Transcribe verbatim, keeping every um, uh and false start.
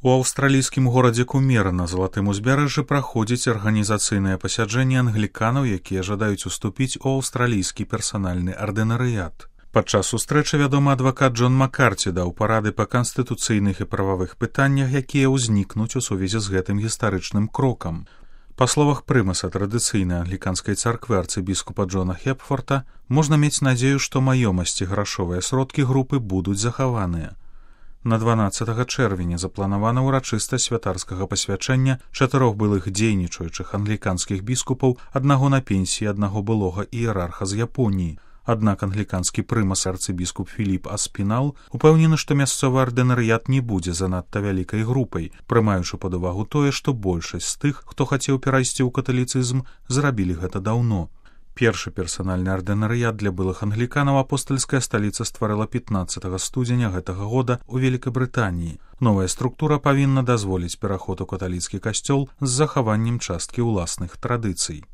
У аўстралійскім горадзе Кумера на залатым узбярэжжы праходзіць арганізацыйнае пасяджэнне англіканаў, якія жадаюць уступіць у аўстралійскі персанальны ардынарыят. Падчас сустрэчы вядомы адвакат Джон Маккарці даў парады па канстытуцыйных і прававых пытаннях, якія ўзнікнуць у сувязі з гэтым гістарычным крокам. Па словах прымаса традыцыйнай англіканскай царквы арцыбіскупа Джона Хепфорта, можна мець надзею, што маёмасць і грашовыя сродкі групы будуць захаваныя. На дванаццатага чэрвеня запланавана ўрачыстасць святарскага пасвячэння чатырох былых дзейнічаючых англіканскіх біскупаў, аднаго на пенсіі, аднаго былога іерарха з Японіі. Аднак англіканскі прымас арцыбіскуп Філіп Аспінал упэўнены, што мясцовы ардынарыят не будзе занадта вялікай групай, прымаючы пад увагу тое, што большасць з тых, хто хацеў перайсці ў каталіцызм, зрабілі гэта даўно. Першы персанальны ардынарыят для былых англіканаў апостальская сталіца стварыла пятнаццатага студзеня гэтага года ў Велікабрытаніі. Новая структура павінна дазволіць пераход у каталіцкі касцёл з захаваннем часткі ўласных традыцый.